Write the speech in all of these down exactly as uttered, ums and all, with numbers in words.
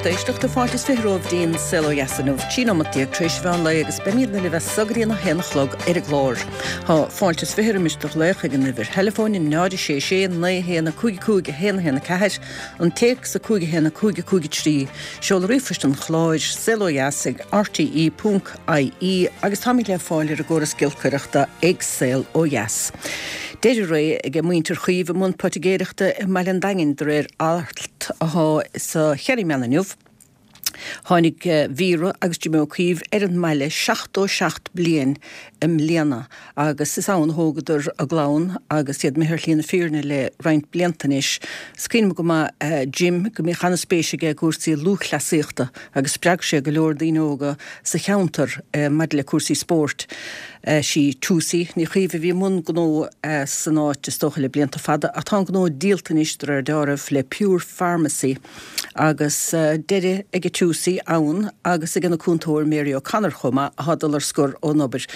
Lucht éisteachta fáilte is fiche romhaibh dtí'n Saol Ó Dheas inniu, trí nóimeat déag tar éis mheán lae agus beimidne libh as so go dtí an a haon a chlog ar an gclár. Tá fáilte is fiche roimis do ghlaoch ag an uimhir theileafóin náid a sé sé naoi haon a cúig cúig a haon a haon a ceathair, an téacs a cúig a haon a cúig a cúig a trí, seoladh ríomhphoist an chláir, saol ó dheas ag rte ponc ie agus táimid le fáil ar an gcóras giolcaireachta ag Saol Ó Dheas. Deireadh ré ag muintir Chaoimh i mbun poitigéireachta i mBaile an Daingin de réir alt atá sa Kerryman inniu. Tháinig Vera agus Jimmy Ó Caoimh ar an mbaile seachtó seacht bliain i mbliana agus is ann a thógadar a gclann agus iad imithe ar shlí na fírinne le roinnt blianta anois. Is cuimhin go maith Jim go mbíodh an-spéis aige i gcúrsaí lúthchleasaíochta agus spreag sé go leor daoine óga sa cheantar maidir le cúrsaí spóirt. Sí Tusie Ní Chaoimh a bhí i mbun gnó san áit is dócha le blianta fada ach tá an gnó díolta anois de réir dealraimh le Pure Pharmacy agus deireadh ag Tusie ann agus ag an cúntóir Mary O'Connor chomh maith atá ag dul ar scor ón obair.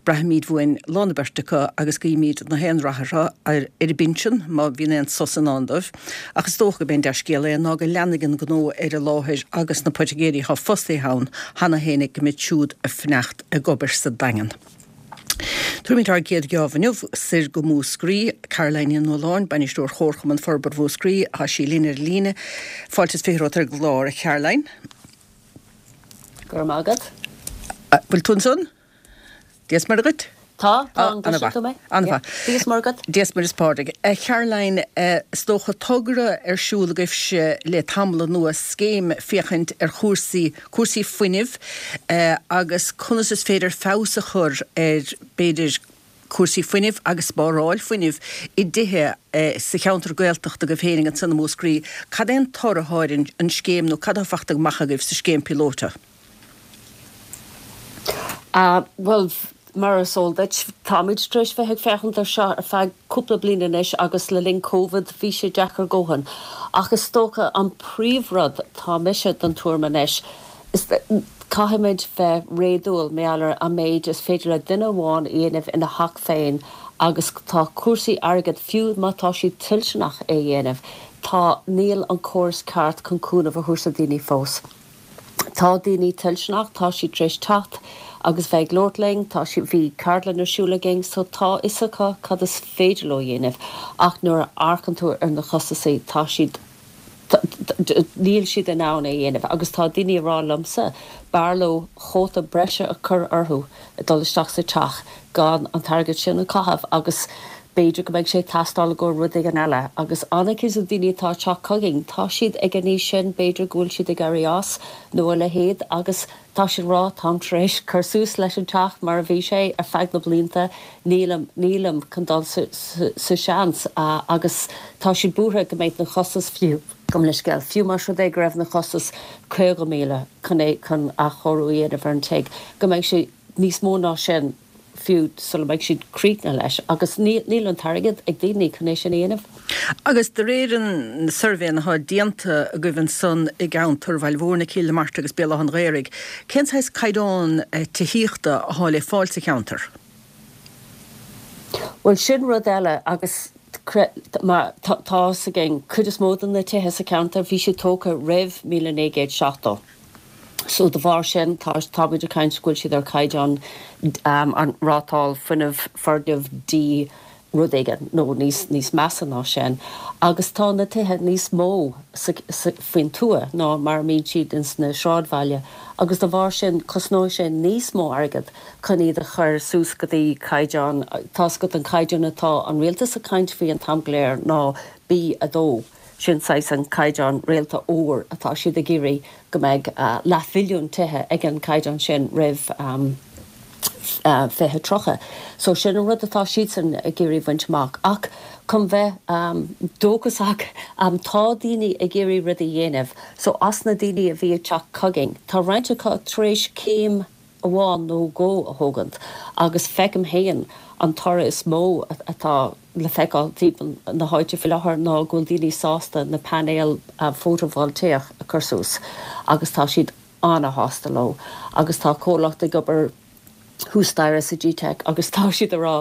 Braithimid uainn lán na beirt acu agus guímid na haon rath orthu ar a bpinsean má bhíonn aon sos i ndán dóibh. Ach is dócha go mb'é an dea-scéal é ná go leanfaidh an gnó ar an láthair agus na poitigéirí atá fostaithe ann cheana féin go mbeidh siúd ag fanacht ag obair sa Daingean. Tabharfaimid ár gcéad gheábh inniu soir go Múscraí, Caroline Ní Nualláin, bainisteoir Chomharchumann Forbartha Mhúscraí, tá sí linn ar líne. Fáilte is fiche romhat ar an gclár, a Caroline. Go raibh maith agat. Bhfuil tú ansan? Dia is Muire dhuit? Tá, tá, an gcloiseann tú mé? An-mhaith. Dia is Muire dhuit. Dia is Muire is Pádraig. A Caroline, is dócha togra ar siúl agaibhse le tamall anuas, scéim féachaint ar chúrsaí, cúrsaí fuinnimh agus conas is féidir feabhas a chur ar b'fhéidir cúrsaí fuinnimh agus spáráil fuinnimh i dtithe sa cheantar Gaeltachta agaibh féin ansan i Múscraí. Cad é an toradh atá ar an scéim nó cad atá fachta amach agaibh sa scéim píolóta? Bhuel, mar is eol duit, táimid tar éis bheith ag féachaint ar seo ar feadh cúpla bliain anois agus le linn Covid bhí sé deacair dóthain. Ach is dócha an príomhrud, tá mise den tuairim anois, is caithfimid bheith réadúil maidir leis an méid is féidir le duine amháin a dhéanamh ina theach féin agus tá cúrsaí airgid fiú má tá siad toilteanach é a dhéanamh, tá níl an córas ceart chun cúnamh a thabhairt do daoine fós. Tá daoine toilteanach, tá siad tar éis teacht agus bheith ag labhairt linn, tá siad, bhí ceardlann ar siúl againn, so tá fhios acu cad is féidir leo a dhéanamh ach nuair a amharcann tú ar na costasaí tá siad, níl siad in ann é a dhéanamh agus tá daoine ag rá liomsa b'fhearr leo cóta breise a chur orthu ag dul isteach sa teach gan an t-airgead sin a chaitheamh agus b'fhéidir go mbeidh sé ag teastáil i gcomhair rud éigin eile agus an-chuid de na daoine atá ag teacht chugainn tá siad ag an aois sin b'fhéidir go bhfuil siad ag éirí as nó a leithéid agus tá siad ag rá táim tar éis cur suas leis an teach mar a bhí sé ar feadh na blianta nílim nílim chun dul sa sa seans agus tá siad buartha go mbeidh na costais fiú gabh mo leithscéal fiú más rud é go raibh na costais caoga míle chun é chun athchóiriú a dhéanamh ar an tigh go mbeidh sé níos mó ná sin fiú sula mbeidh siad críochnaithe leis agus níl an t-airgead ag daoine chun é sin a dhéanamh. Agus de réir an suirbhé atá déanta agaibh ansan i gceantar Bhaile Mhúirne, Cill na Martra agus Béal Átha an Ghaorthaidh, cén saghas caighdeán tithíochta atá le fáil sa cheantar? Bhuel sin rud eile agus mar tá fhios againn cuid is mó de na tithe sa cheantar bhí siad tógtha roimh míle naoi gcéad seachtó. So de bharr sin tá táimid ag caint go bhfuil siad ar caighdeán an rátáil fuinnimh foirgneamh D rud éigin nó níos níos measa ná sin agus tá na tithe níos mó sa sa faoin tuath ná mar a mbíonn siad ins na sráidbhaile agus de bharr sin cosnóidh sé níos mó airgead chun iad a chur suas go dtí caighdeán tá's agat an caighdeán atá an rialtas ag caint faoi an t-am go léir ná B a dó. Sin saghas an caighdeán réalta óir atá siad ag iarraidh go mbeidh leathmhilliún tithe ag an caighdeán sin roimh fiche tríocha. So sin an rud atá siadsan ag iarraidh bhaint amach. Ach chun bheith dóchasach tá daoine ag iarraidh rudaí a dhéanamh. So as na daoine a bhí ag teacht chugainn tá roinnt acu tar éis céim amháin nó dhó a thógaint agus feicim féin an toradh is mó atá le feiceáil timpeall na háite faoi láthair ná go bhfuil daoine sásta na painéil fótavoltaíoch a chur suas agus tá siad an-shásta leo agus tá comhlacht ag obair thuas staighre sa G-Tech agus tá siad ag rá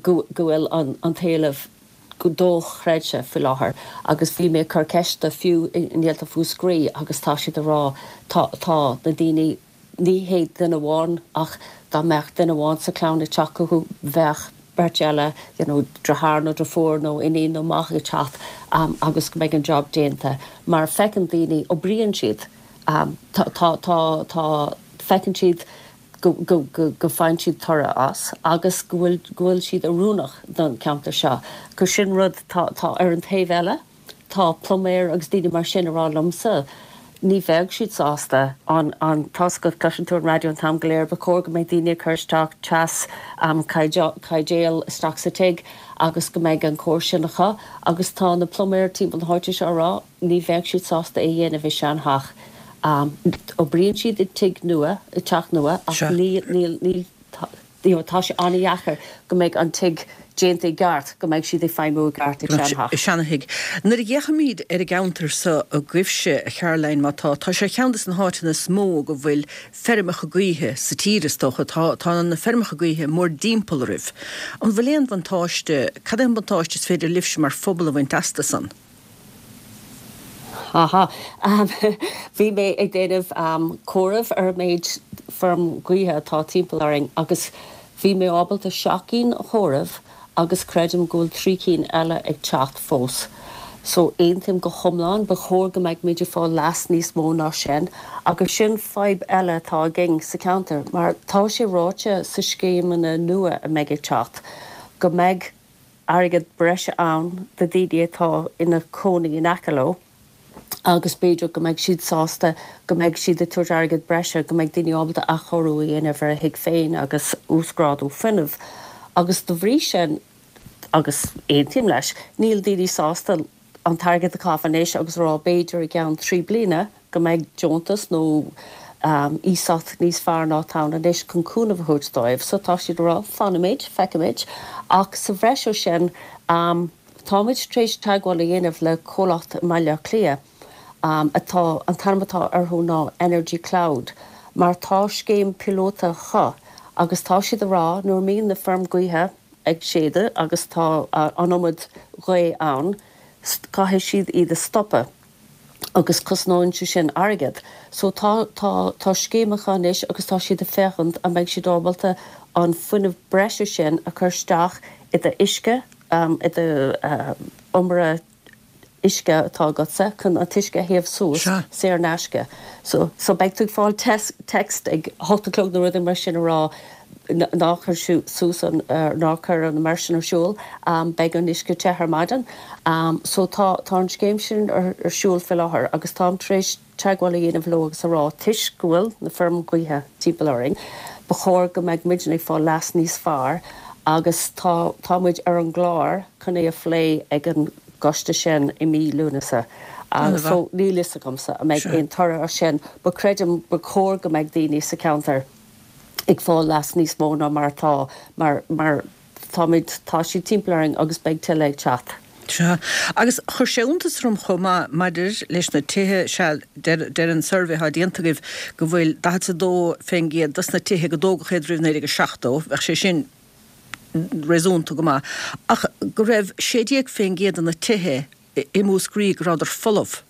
go go bhfuil an an t-éileamh dochreidte faoi láthair agus bhí mé ag cur ceiste fiú i nGaeltacht Mhúscraí agus tá siad ag rá tá tá na daoine ní hé duine amháin ach dá mbeadh duine amháin sa chlann ag teacht chucu bheadh beirt eile you know deartháir nó deirfiúr nó iníon nó mac ag teacht um, agus go mbeidh an job déanta mar feiceann daoine oibríonn siad um, tá tá tá tá feiceann siad go go go go bhfaigheann siad toradh as agus go bhfuil go bhfuil siad oiriúnach don cheantar seo. Go sin rud tá tá ar an taobh eile, tá pluiméir agus daoine mar sin ag rá liomsa. Ní bheadh siad sásta an an tá go gcloiseann tú an raidió an t-am go léir ba chóir go mbeidh daoine cur isteach teas um, caidéal isteach sa tigh agus go mbeidh an cóir sin acu agus tá na pluiméir timpeall na háite seo rá ní bheadh siad sásta é dhéanamh i seantheach. Um, oibríonn siad i tigh nua i teach nua ach níl níl níl tá sé an-deacair go mbeidh an tigh déanta i gceart go mbeidh siad ag feidhmiú i gceart i seantheach. Seanthigh. Nuair a fhéachaimid ar an gceantar seo agaibhse a Charoline má tá tá sé ceann de na háiteanna is mó go bhfuil feirmeacha gaoithe sa tír is dócha tá tá na feirmeacha gaoithe mór-dtimpeall oraibh. An bhfuil aon bhuntáiste cad é an buntáiste is féidir libhse mar phobal a bhaint astu san? Aha. Um, bhí mé ag déanamh um, comhaireamh ar méid feirm gaoithe atá timpeall orainn agus bhí mé ábalta seacht gcinn a chomhaireamh agus creidim go bhfuil trí cinn eile ag teacht fós. So aontaím go hiomlán ba chóir go mbeadh muid ag fáil leas níos mó ná sin, agus sin fadhb eile atá againn sa cheantar, mar tá sé ráite sa scéimeanna nua a mbeidh ag teacht, go mbeidh airgead breise ann do daoine atá ina cónaí in aice leo agus b'fhéidir go mbeidh siad sásta go mbeidh siad ag tabhairt airgead breise go mbeidh daoine ábalta athchóiriú a dhéanamh ar a dtigh féin agus uasghrádú fuinnimh. Agus de bhrí sin agus aontaím leis, níl daoine sásta an t-airgead a chaitheamh anois agus rá b'fhéidir i gceann trí bliana go mbeidh deontas nó um, iasacht níos fearr ná atá anois chun cúnamh a thabhairt dóibh, so tá siad rá fanfaimid, feicfimid, ach sa bhreis air sin um, táimid tar éis teagmháil a dhéanamh le comhlacht Baile Átha Cliath. Um, atá an t-ainm atá orthu ná Energy Cloud, mar tá scéim píolóta acu agus tá siad ag rá nuair a bhíonn na feirm gaoithe ag séideadh agus tá uh, an iomad gaoth ann, caithfidh siad iad a stopadh agus cosnaíonn sé sin airgead. So tá tá tá scéim acu anois agus tá siad ag féachaint an mbeidh siad ábalta an fuinneamh breise sin a chur isteach i do uisce um, i do uh, iomaire uisce atá agatsa chun an t-uisce a théamh suas saor in aisce. So, so beidh tú fáil text ag hocht a chlog nó rud mar sin rá ná cuir suas an uh, ná cuir an iomaire sin ar siúl um, beidh an uisce te ar maidin. Um, so tá tá an scéim sin ar, ar siúl faoi láthair agus táim tar éis teagmháil a dhéanamh leo agus a rá toisc go bhfuil na feirm gaoithe timpeall orainn. Ba chóir go mbeadh muid ag fáil leas níos fearr agus tá tá muid ar an gclár chun é a phlé ag an gcoiste sin i mí Lúnasa. Agus so níl a fhios agamsa an mbeidh aon toradh as sin, but creidim ba chóir go mbeadh daoine sa cheantar ag fáil leas níos mó ná mar atá mar mar táimid tá siad timpeall orainn agus beidh tuilleadh ag teacht. Sea. Agus chuir sé iontas orm chomh maith maidir leis na tithe sea deir an suirbhé atá déanta agaibh go bhfuil daichead a dó faoin gcéad dos na tithe go dtógadh iad roimh naoi déag seachtó, bheadh sé sin réasúnta go maith, ach go raibh sé déag faoin gcéad de na tithe i Múscraí go rabhadar folamh.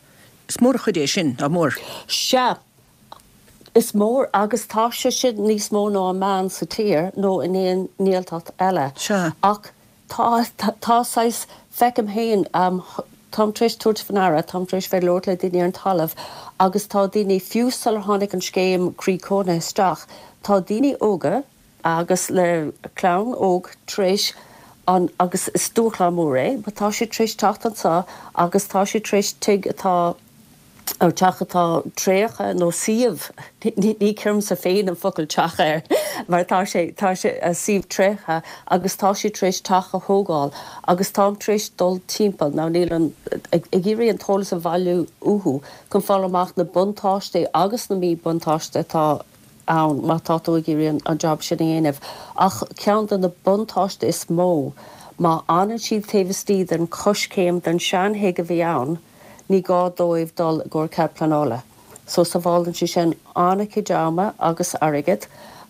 Is mór an chuid é sin, nach mór? Sea, is mór agus tá sé sin níos mó ná an meán sa tír nó in aon nGaeltacht eile. Sea. Ach tá tá saghas feicim féin um, táim tar éis tabhairt faoi ndeara, táim tar éis bheith ag labhairt le daoine ar an talamh agus tá daoine fiú sular tháinig an scéim croí cónaithe isteach, tá daoine óga agus le clann óg tar éis an agus is dúshlán mór é, but tá siad tar éis teacht anseo agus tá siad tar éis tigh atá ó teach atá tréigthe nó suíomh ní chuirimse féin an focal teach air mar tá sé tá sé a suíomh tréigthe agus tá siad tar éis teach a thógáil agus táim tar éis dul timpeall ná níl an ag iarraidh an t-eolas a bhailiú uathu chun fáil amach na buntáistí agus na míbhuntáistí atá ann má tá tú ag iarraidh an job sin a dhéanamh. Ach ceann de na buntáistí is mó, má fhanann siad taobh istigh den choiscéim den seanthigh a bhí ann, ní gá dóibh dul i gcomhair cead pleanála. So sábhálann sé sin an-chuid ama agus airgead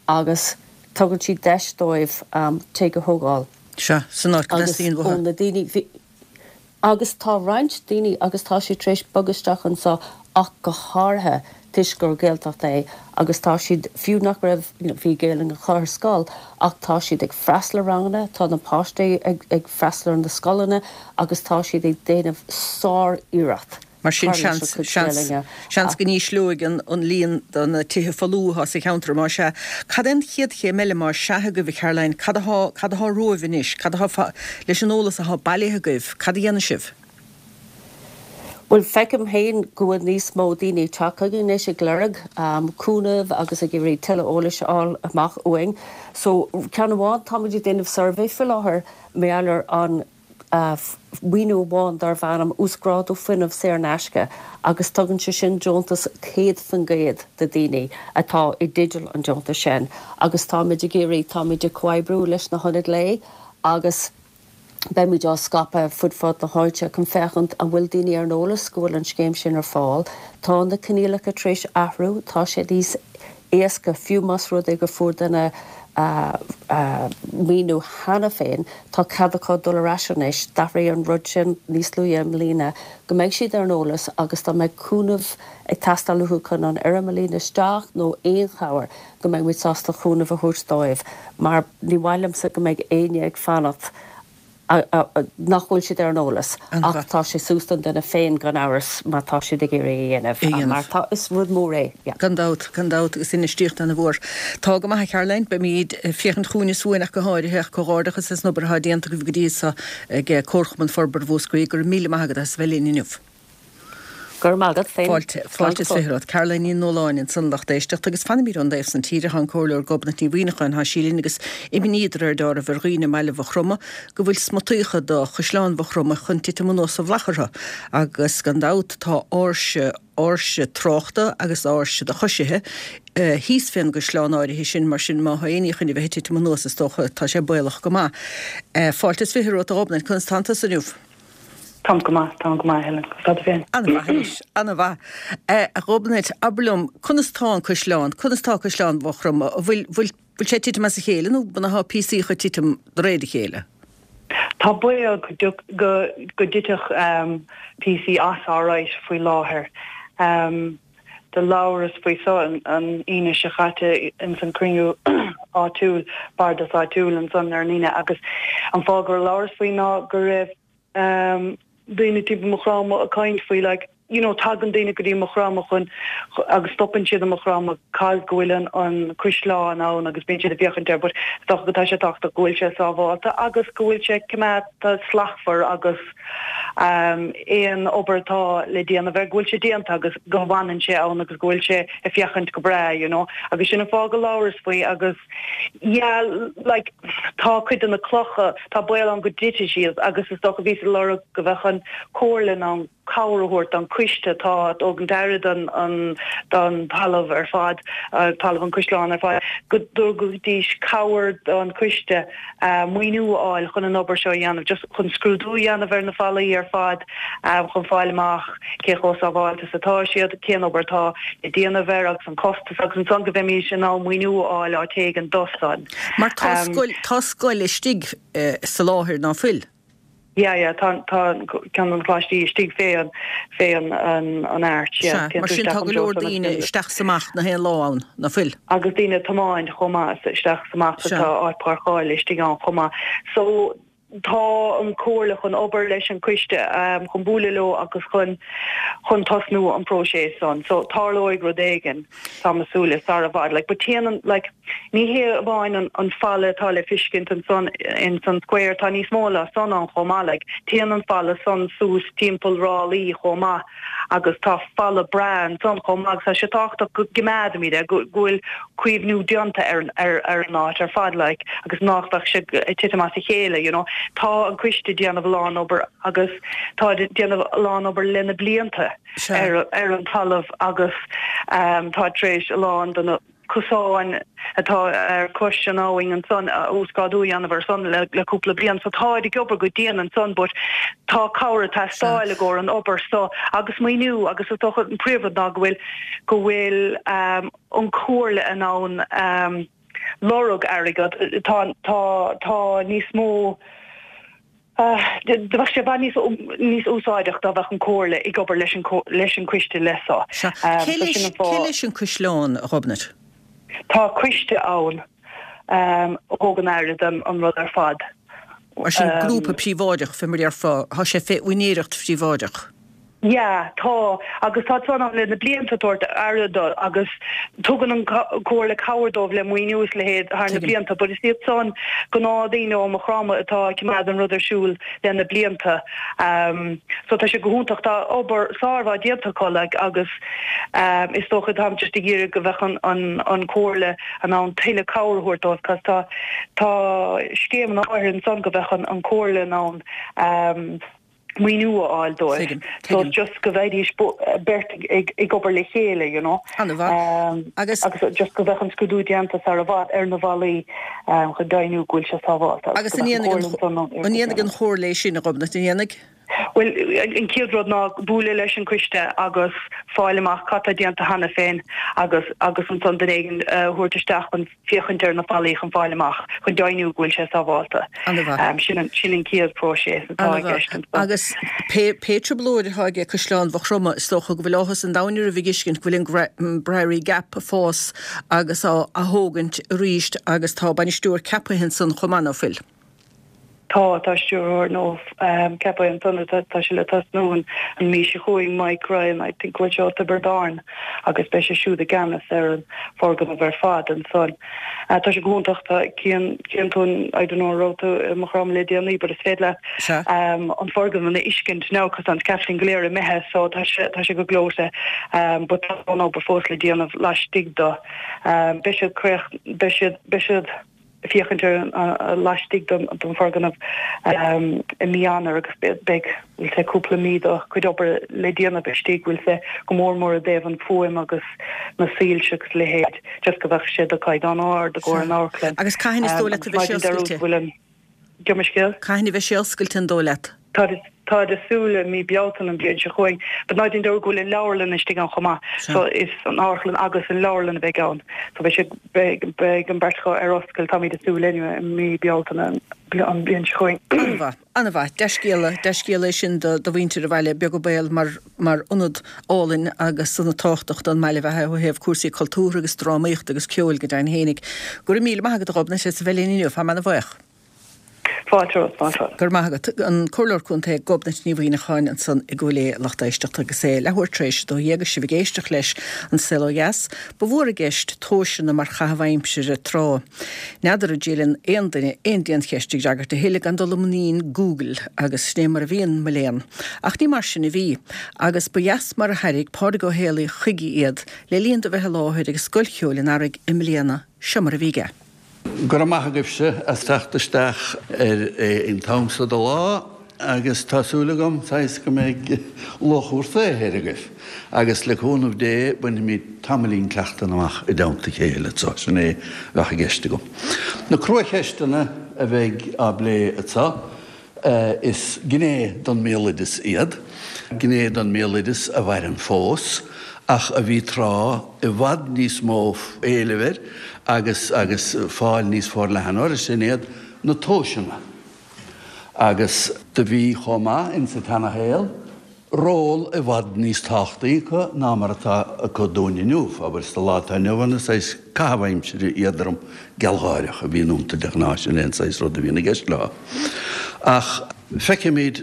agus tugann siad deis dóibh um, tigh a thógáil. Sea, san áit go Agus dteastaíonn ó uathu. na daoine Agus tá roinnt daoine agus tá siad tar éis bogadh isteach anseo ach go háirithe toisc gur Gaeltacht é agus tá siad fiú nach raibh you know, bhí Gaeilge acu ar scoil ach tá siad ag freastal ar ranganna, tá na páistí ag, ag freastal ar na scoileanna agus tá siad ag déanamh sár-iarracht. Mar sin seans seans go n-ísleoidh an an líon de na tithe folmha sa cheantar más ea. Cad é an chéad chéim eile más ea agaibh a Caroline, cad atá cad atá romhaibh anois, cad atá leis an eolas atá bailithe agaibh, cad a dhéanfaidh sibh? Well feicim féin go bhfuil níos mó daoine tagtha anois ag lorg um, cúnamh agus ag iarraidh tuilleadh eolais a fháil amach uainn. So ceann amháin táimid ag déanamh suirbhé faoi láthair maidir leis an uh, maoiniú amháin darb ainm uasghrádú fuinnimh saor in aisce agus tugann sé sin deontas céad faoin gcéad do daoine atá i dteideal an deontas sin agus táimid ag iarraidh táimid ag comhoibriú leis na hionaid lae agus beimid á scaipeadh fud fad na háite chun féachaint an bhfuil daoine ar an eolas go bhfuil an scéim sin ar fáil. Tá na coinníollacha tar éis athrú, tá sé níos éasca fiú más rud é go bhfuair duine maoiniú cheana féin, tá cead acu dul ar ais anois, d'athraigh an rud sin níos luaithe i mbliana, go mbeidh siad ar an eolas agus dá mbeidh cúnamh ag teastáil uathu chun an fhoirm a líonadh isteach nó aon chabhair go mbeidh muid sásta cúnamh a thabhairt dóibh, mar ní mhaith liomsa go mbeidh éinne ag fanacht nach bhfuil siad ar an eolas ach tá sé suas don duine féin gan amhras má tá siad ag iarraidh a dhéanamh mar tá is rud mór é. Gan dabht gan dabht agus infheistíocht an-mhór. Tá go maith Caroline beimid ag féachaint chugainn is uainn ach go háirithe ach comhghairdeachas as an obair atá déanta agaibh go dtí seo ag Comharchumann Forbartha Mhúscraí go raibh míle maith agat as bheith linn inniu. Gur mágad féin. Fáilte fáilte is fiche Caroline Ní Nualláin ansan a lucht éisteachta agus fanaimid ón dtaobh san tíre tá an Comhairleoir Gobnait Ní Mhuineacháin tá sí linn agus imní de réir dealraimh ar dhaoine i mbaile Mhaigh Chromtha go bhfuil smutaíocha do Chaisleán Mhaigh Chromtha chun titim anuas sa mhullach orthu agus gan dabht tá áirse áirse tráchta agus áirse do choisithe thíos fén gcaisleán áirithe sin mar sin má tá éinní chun a bheith ag titim anuas is dócha tá sé baolach go maith. Fáilte is fiche romhat a Ghobnait conas tánn tusa inniu. Táim go maith tá go maith Helen Tá féin. An-mhaith an-mhaith. A Ghobnait abair liom conas tá an caisleán, conas tá Caisleán Mhaigh Chromtha, bhfuil bhfuil bhfuil sé titim as a chéile nó b'fhéidir tá píosaí ag titim de réir a chéile. Tá baol go go go dtitfeadh um, píosaí as alright faoi láthair. Um, do labhras faoi so an, an Aoine seo caite in san cruinniú áitiúil bardas áitiúil ansan ar an Aoine agus an fáth gur labhras faoi ná go raibh um, daoine timpeall Maigh Chromtha ag caint faoi like you know tagann daoine go dtí Maigh Chromtha chun agus stopann siad Maigh Chromtha cos go bhfuil an an caisleán ann agus bíonn siad ag féachaint air but tá go tá sé tábhachtach go bhfuil sé sábháilte agus go bhfuil sé coimeádta slachtmhar agus um, aon obair atá le déanamh air go bhfuil sé déanta agus go bhfanann sé ann agus go bhfuil sé ag féachaint go breá you know agus sin an fáth go labhras faoi agus yeah like tá cuid de na clocha tá baol ann go dtitfidh siad agus is dócha bhí sa lorg go bheadh an chomhairle an cabhair a thabhairt an coiste tá ag tabhairt aire an don talamh ar fad uh, talamh an chaisleáin ar fad go dtabharfaidís cabhair don coiste uh, maoiniú a fháil chun an obair seo dhéanamh just chun scrúdú dhéanamh ar na fallaí ar fad um, chun fáil amach cé chomh sábháilte atá siad cén obair atá le déanamh air agus an costas agus ansan go bhféadfaimis an maoiniú a fháil á tégan dosan. Mar tá scoil tá scoil istigh uh, sa láthair ná fuil. Ja ja tá tá ceann an choláistí istigh fé an fé an an an arch yeah mar sin tá go leor daoine isteach is amach na haon lá ann ná fuil. Agus daoine ag tiomáint chomh maith isteach is amach tá áit páirceála istigh ann chomh maith. So tá an chomhairle chun obair leis an coiste um, chun bualadh leo agus chun chun tosnú an próiseas san. So tarlóidh rud éigin tá mé ag súil sara i bhfad like but téann like ní hé amháin an, an falla atá le feiscint ansan in san square tá níos mó ná san ann chomh maith like téann an falla san suas timpeall rálaí chomh maith agus tá falla breá ansan chomh maith tá sé tábhachtach go gcoimeádfaimid é go bhfuil caomhnú déanta ar ar ar an áit ar fad like agus nach mbeadh sé ag titim as a chéile you know tá an coiste déanamh a lán obair agus tá déanamh a lán obair le na blianta ar ar an talamh agus um, tá tar éis a lán de na cosáin atá ar cois an abhainn ansan uasghrádú a dhéanamh ar san le, le cúpla bliain so tá ag obair go dian ansan but tá cabhair ag teastáil i gcomhair an obair so agus maoiniú agus is dócha an príomhrud ná go bhfuil go bhfuil um, an chomhairle in ann um, lorg airgead tá tá tá níos mó Do bheadh sé i bhfad níos níos úsáideach dá bheadh an Comhairle ag obair leis an leis an coiste leis so. Sea. Cé leis cé leis an Caisleán, a Ghobnait? Tá coiste ann a thugann aire don an rud ar fad. Mar sin grúpa príobháideach, fé mar a déarfá, tá sé fé úinéireacht phríobháideach. Yeah, tá, agus tá san ann le na blianta ag tabhairt aire dó agus tugann an Comhairle cabhair dóibh le maoiniú is leithéid thar na blianta, but is iad san gnáthdaoine ó Maigh Chromtha atá ag coimeád an rud ar siúl le na blianta. Um, so tá sé go hiontach, tá obair sármhaith déanta acu like agus um, is dócha táim just ag iarraidh go bheadh an, an, an Comhairle in ann tuilleadh cabhair a thabhairt dóibh, cos tá, tá scéimeanna áirithe ansan go bheadh an, an Comhairle in ann um, maoiniú a fháil dóibh. So just go bheidís beirt ag ag obair le chéile, you know. An-mhaith. Agus agus just go bheadh an scrúdú déanta sar i bhfad ar na bhallaí chun deimhniú go bhfuil sé sábháilte. Agus an ndéanfaidh an Chomhairle é sin, a Ghobnait, an ndéanfaidh? Bhuel, an chéad rud ná bualadh leis an coiste agus fáil amach cad tá déanta cheana féin agus agus ansan duine éigin a thabhairt isteach chun féachaint ar na fallaí chun fáil amach, chun deimhniú go bhfuil sé sábháilte. Sin an sin an chéad próiseas atá i gceist ansan. Agus pé pé trioblóid atá aige Caisleán Mhaigh Chromtha, is dócha go bhfuil áthas an domhain oraibh ag fheiscint go bhfuil an Briery Gap ag fás agus á athógaint arís agus tá bainisteoir ceaptha ansan chomh maith, ná fuil? Tá, tá stiúrthóir nua ceaptha ansan, tá sé le tosnú an mhí seo chugainn, Mike Ryan, I think go bhfuil sé ó Tiobraid Árann agus beidh sé siúd i gceannas ar an foirgneamh ar fad ansan. Tá sé go hiontach, tá, cíonn, cíonn tú an, I don't know an raibh tú i Maigh Chromtha le déanaí but is féidir leat an foirgneamh a fheiscint now cos tá an scaffolding go léir imithe so tá sé, tá sé go gleoite but tá an obair fós le déanamh laistigh de. Beidh siad críoch, beidh siad, beidh siad. féachaint ar laistigh den foirgneamh i mí Eanáir agus beidh we'll say cúpla mí de chuid obair le déanamh istigh we'll say go mór mór i dtaobh an fuaim agus na soilse agus leithéid just go bheadh sé de chaighdeán ard i gcomhair an amharclann. Agus cathain is dóigh leat a bheidh sé oscailte? Gabh mo leithscéal? Cathain a bheidh sé oscailte an dóigh leat? Táid ag súil le mí Bealtaine an bhliain seo chugainn, but ná déan dearmad go bhfuil an leabharlann istigh ann chomh maith. So is an amharclann agus an leabharlann a bheidh ann. So beidh sé, beidh, beidh an bheirt acu ar oscailt, táimid ag súil anyway, i mí Bealtaine an bhliain seo chugainn. An-mhaith, an-mhaith. Dea-scéala, dea-scéala é sin do, do mhuintir an bhaile, beag an baol mar, mar ionad álainn agus ionad tábhachtach don mbaile a bheith ó thaobh cúrsaí cultúrtha agus drámaíochta agus ceoil go deimhin fhéinig. Go raibh míle maith agat a Ghobnait as a bheith linn inniu, táim ana-bhuíoch. Fáilte romhat, fáilte romhat. Go raibh maith agat. An Comhairleoir Contae Gobnait Ní Mhuimhneacháin ansan i gCúil Aodha, lucht éisteachta agus é leathuair tar éis a dó dhéag agus sibh ag éisteacht leis An Saol Ó Dheas. Ba mhór i gceist tomhaiseanna mar chaitheamh aimsire tráth. N'fheadar an dtriaileann aon duine aon diancheist a fhreagairt a thuilleadh gan dul i muinín Google agus sin é mar a bhíonn, mo léan. Ach ní mar sin a bhí. Agus ba dheas mar a thairg Pádraig Ó Héalaí chuige iad le linn dó bheith i láthair ag Scoil Cheoil an Earraigh i mbliana. Seo mar a bhí aige. Go raibh maith agaibhse as teacht isteach ar an t-am so de lá agus tá súil agam saghas go mbeidh luach bhur saothair agaibh agus le cúnamh Dé bainfimid tamaillín cleachtanna amach i dteannta a chéile anso. Sin é a bheadh i gceist agam. Na cruacheisteanna a bheidh á bplé anso. Is gné den mbéaloideas iad, gné den mbéaloideas a mhaireann fós, ach a bhí tráth i bhfad níos mó éilimh air agus agus fáil níos forleithne air, sin iad na tomhaiseanna. Agus do bhí chomh maith insa tseanashaol ról i bhfad níos tábhachtaí acu ná mar atá acu dúinn inniu. Abair, sa lá atá inniu ann, is saghas caitheamh aimsire éadrom gealgháireach a bhíonn iontu de ghnáth, sin é an saghas rud a bhíonn i gceist leo. Ach feicimid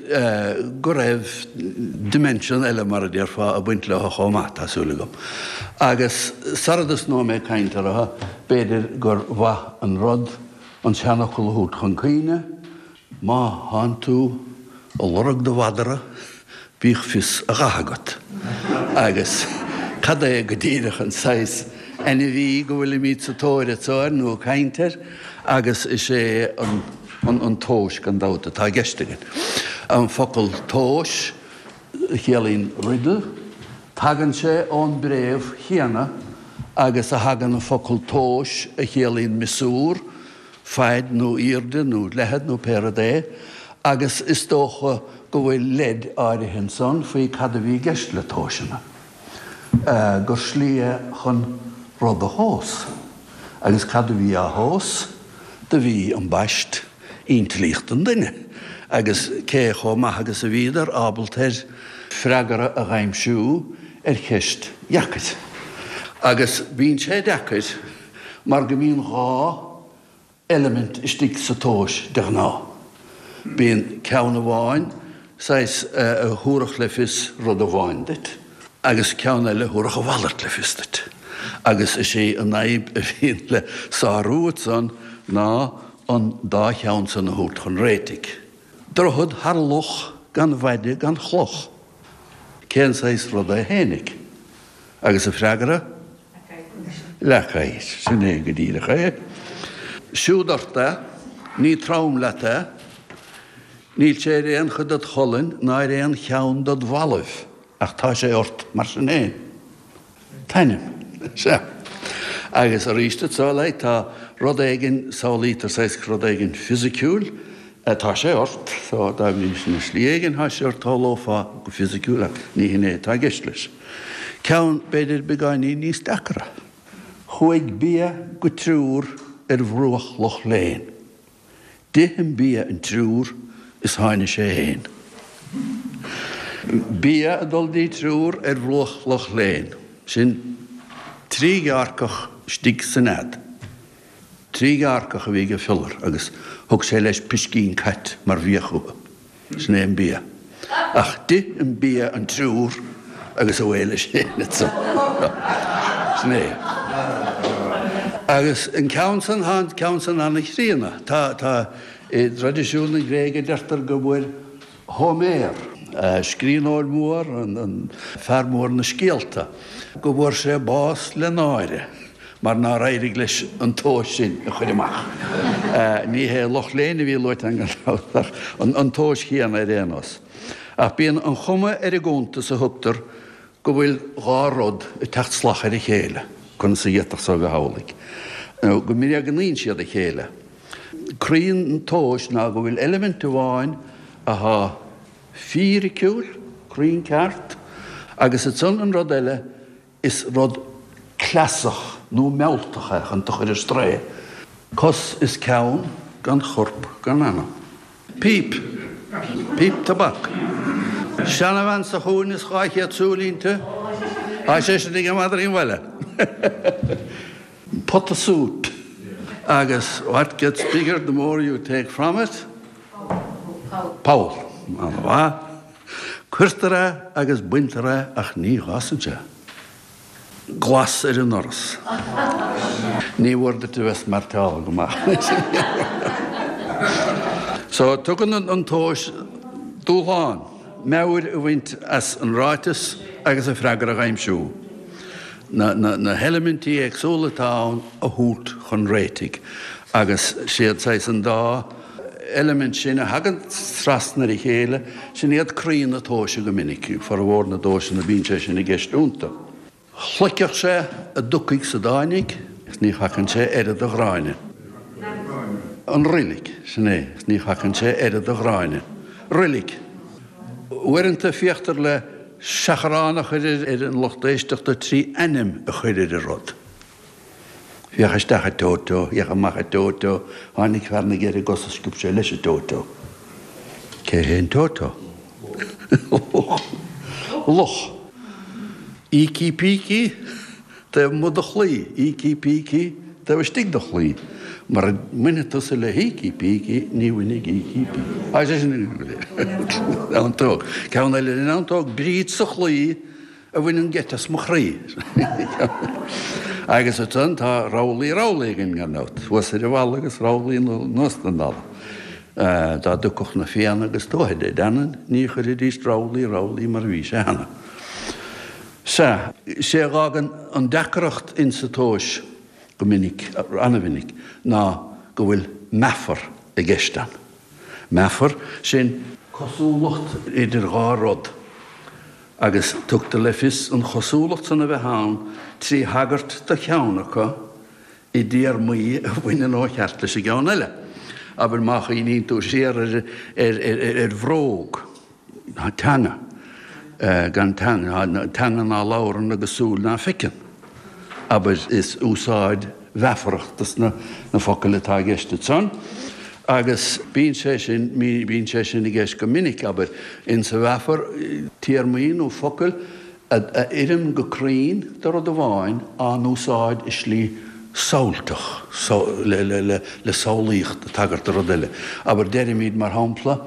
go raibh dimension eile, mar a déarfá, ag baint leo chomh maith, tá súil agam. Agus sara dtosnóidh mé ag caint orthu, b'fhéidir gur mhaith an rud an seanfhocal a thabhairt chun cuimhne, Má thánn tú a lorg do mhadra, bíodh fios a dhatha agat. Agus cad é go díreach an saghas ainmhí go bhfuilimid sa tóir anso air nó ag caint air? Agus is é an tomhas gan dabht atá i gceist againn. An focal tomhas, a chiallaíonn riddle, tagann sé ón bpréamh chéanna agus a thagann an focal tomhas a chiallaíonn miosúr, faid nó aoirde nó leithead nó pé rud é, agus is dócha go bhfuil leid áirithe ansan faoi cad a bhí i gceist le tomhaiseanna, gur slí é chun rud a thomhas. Agus cad a bhí á thomhas? Do bhí an baist intlíocht an duine agus cé chomh maith agus a bhíodar ábalta ar freagra a dh'aimsiú ar cheist dheacair. Agus bíonn sé deacair mar go mbíonn dhá eilimint istigh sa tomhas de ghnáth. Bíonn ceann amháin saghas a thabharfadh le fios rud amháin duit agus ceann eile a thabharfadh a mhalairt le fios duit. Agus is é an fhadhb a bhíonn le sárú ansan ná an dá cheann san a thabhairt chun réitigh. Droichead thar loch gan mhaide gan chloch. Cén saghas rud é fhéinig? Agus a freagra? Leac oighir. Sin é go díreach é. Siúd ort é, ní trom leat é, níl sé ar aon chuid dod cholainn ná ar aon cheann dod bhallaibh, ach tá sé ort mar sin fhéin. T-ainm. Sea. Agus arís anso, like, tá rud éigin, samhlaítear saghas rud éigin fisiciúil, tá sé ort, so dá bhrí sin i slí éigin tá sé ort, shamhlófá go fisiciúil ach ní hin é atá i gceist leis. Ceann, b'fhéidir, beagáinín níos deacra. Chuaigh bia go triúr ar bhruach Loch Léin. D'ith an bia an triúr is tháinig sé fhéin. Bia ag dul dtí triúr ar bhruach Loch Léin. Sin trí ghearrcach istigh sa nead. Trí ghearrcach a bhí ag Fiolar agus thug sé leis piscín cait mar bhia chucu. Sin é an bia. Ach d'ith an bia an triúr agus away leis féin ansan. Sin é. Agus an ceann san, tá an ceann san ana-chríonna. Tá, tá, i dtraidisiún na Gréige deirtear go bhfuair Hóiméar, scríbhneoir mór, an fear mór na scéalta, go bhfuair sé bás le náire mar nár éirigh leis an tomhas sin a chur amach. Ní hé Loch Léin a bhí luaite ann gan dabht ach an tomhas chéanna ar aon nós. Ach bíonn an chuma ar an gcuntas a thugtar go bhfuil dhá rud ag teacht salach ar a chéile, conas a d'fhéadfadh so a bheith amhlaidh? Nó go mbréagnaíonn siad a chéile. Croí an tomhais ná go bhfuil eilimint amháin athá fíriciúil, cruinn ceart, agus ansan an rud eile, is rud cleasach nó mealltach é chun tú chur ar strae. Cos is ceann gan chorp gan anam. Píp. Píp tobac. Seanabhean sa chúinne is dhá chéad súil inti. Tá sé sin ag madraí an bhaile. Pota súp. Agus what gets bigger the more you take from it? Poll. An-mhaith. Cuirtear é agus baintear é ach ní fhásann sé. Glas ar an ndoras. Ní mhór duit a bheith smeairteáilte go maith. So, tugann an tomhas dúshlán, meabhair a bhaint as an ráiteas agus a freagra a aimsiú. Na, na, na heilimintí éagsúla atá ann a thabhairt chun réitigh. Agus siad saghas an dá eilimint sin a thagann trasna ar a chéile, sin iad croí na tomhaise go minic. Formhór na dtomhaiseanna bíonn sé sin i gceist iontu. Shloigfeadh sé a dtiocfaidh 's a dtáinig 's ní thacann sé oiread a Ghráinne. An roilig, sin é, 's ní thacann sé oiread a Ghráinne. Roilig. Uaireanta féachtar le seachrán a chur ar an lucht éisteachta trí ainm a chur ar an rud. Féach isteach a Teo-Teo, féach amach a Teo-Teo, tháinig fear na gceithre gcos is sciob sé leis a Teo-Teo. Cé hé an Teo-Teo? Luch. Ící pící taobh amuigh de chlaí, ící pící taobh istigh de chlaí. Mura mbainfidh tusa le hÍcí pící, ní bhainfidh Ící pící. Tá sé sin neantóg. Ceann eile den neantóg, Bríd sa chlaí a bhaineann geit as mo chroí. Agus ansan tá rabhlaí rabhlaí againn gan dabht, thuas ar an bhalla agus rabhlaí anuas den bhalla. Dá dtiocfadh na Fianna agus Tuatha Dé Danann ní chuirfidís rabhlaí rabhlaí mar a bhí sé cheana. Sea, sé a dh'fhágann an deacracht insa tomhais go minic, ana-mhinic, ná go bhfuil meafar i gceist ann. Meafar, sin cosúlacht idir dhá rud, agus tugtar le fios an chosúlacht san a bheith ann trí thagairt do cheann acu i dtéarmaí a bhaineann ó cheart leis an gceann eile. Abair má chuimhníonn tú siar ar, ar, ar, ar bhróg. Teanga gan teanga, teanga ná labhrann agus súil ná feiceann. Abair, is úsáid mheafarach dos na focail atá i gceist ansan. Agus bíonn sé sin, bíonn sé sin i gceist go minic, abair, insa mheafar, téarmaí nó focail a oireann go cruinn do rud amháin á n-úsáid i slí samhailteach, le samhlaíocht ag tagairt do rud eile. Abair, deirimid, mar shampla,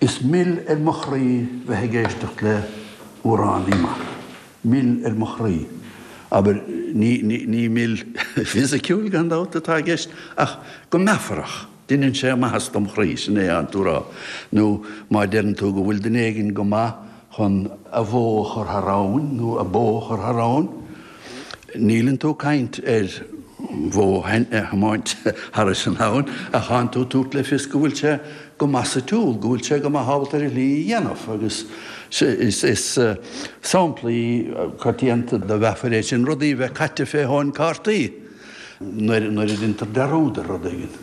Is mil ar mo chroí bheith ag éisteacht le amhránaí maith. Mil ar mo chroí. Abair, ní, ní mil fisiciúil, gan dabht, atá i gceist, ach go meafarach, deineann sé maitheas dom chroí, sin é atánn tú a rá. Nó má deireann tú go bhfuil duine éigin go maith chun a bhó a chur thar abhainn nó a bó a chur thar abhainn, níleann tú ag caint ar bhó a thiomáint thairis an abhainn, ach tánn tú ag tabhairt le fios go bhfuil sé go maith sa tsiúl, go bhfuil sé go maith ábalta ar a shlí a dhéanamh agus is samplaí coitianta de mheafair é sin, rudaí a bheith caite fé thóin cártaí nuair a deintear dearúd ar rud éigin.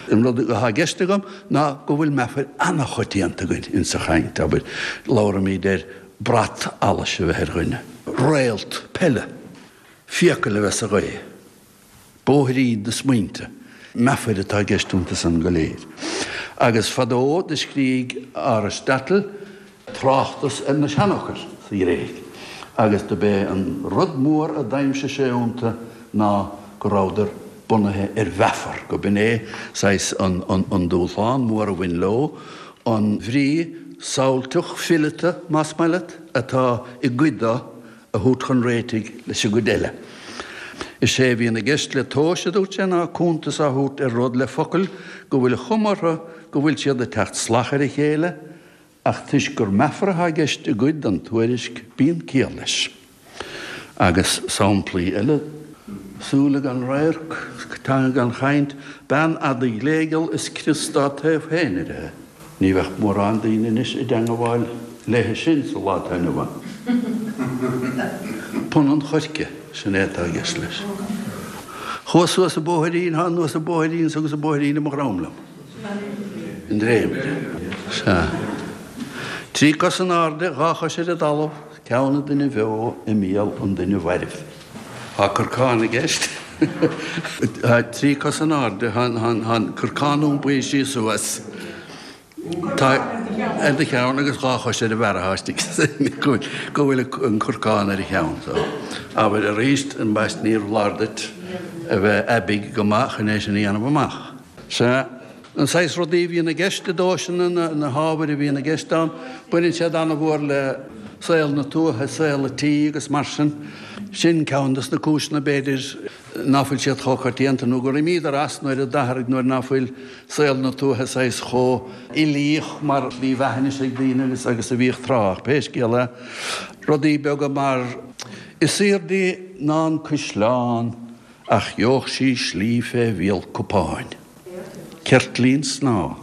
An rud atá i gceist agam ná go bhfuil meafair an-choitianta againn insa chaint, abair, labhraímid ar brat allais a bheith ar dhuine, réalt peile, fiacail a bheith sa ghaoth, bóithrín na smaointe, meafair atá i gceist iontu san go léir. Agus fadó do scrígh Aristotle tráchtas ar na seanfhocail sa Ghréig agus do b'é an rud mór a d'aimsigh sé iontu ná go rabhadar bunaithe ar mheafar, go b'in é saghas an dúshlán mór a bhain leo, an bhrí samhailteach fileata, más maith leat, atá i gcuid de a thabhairt chun réitigh leis an gcuid eile. Is é a bhíonn i gceist le tomhais, a dúirt sé, ná cuntas á thabhairt ar rud le focail go bhfuil an chuma orthu go bhfuil siad ag teacht salach ar a chéile, ach toisc gur meafar atá i gceist i gcuid den tuairisc, bíonn ciall leis. Agus samplaí eile, súile gan radharc, teanga gan chaint, bean fhada ghléigeal is crios dá taobh féin uirthi. Ní bheadh mórán daoine anois i dteangabháil léithe sin sa lá atá inniu ann. Punann choirce, sin é atá i gceist leis. Chuas suas an bóithrín, thá anuas an bóithrín 's agus an bóithrín i mo dhrom liom. An dréimire. Sea. Trí cos in airde, dhá chois ar an dtalamh, ceann an duine bheo i mbéal an duine mhairbh. Tá corcán i gceist. Tá trí cos in airde, tá an corcán iompaithe síos suas. Tá ar do cheann agus dhá chois ar an bhfear atá istigh go bhfuil an corcán ar a cheann. So, abair arís, ambaist níorbh fholáir duit a bheith aibí go maith chun é sin a dhéanamh amach. Sea, an saghas rudaí a bhíonn i gceist i dtomhaiseanna, na, na hábhair a bhíonn i gceist ann, baineann siad an-mhór le saol na tuaithe, saol an tí agus mar sin. Sin ceann dos na cúiseanna, b'fhéidir, ná fuil siad chomh coitianta nó gur imíodar as nuair a d'athraigh, nuair ná fuil saol na tuaithe saghas chomh uilíoch mar shlí bheatha anois ag daoine agus, agus a bhíodh tráth. Ach pé scéal é, rudaí beaga mar, Is aoirde ná an caisleán ach gheobhadh sí slí fé bhéal cupáin. Ceirtlín snámha.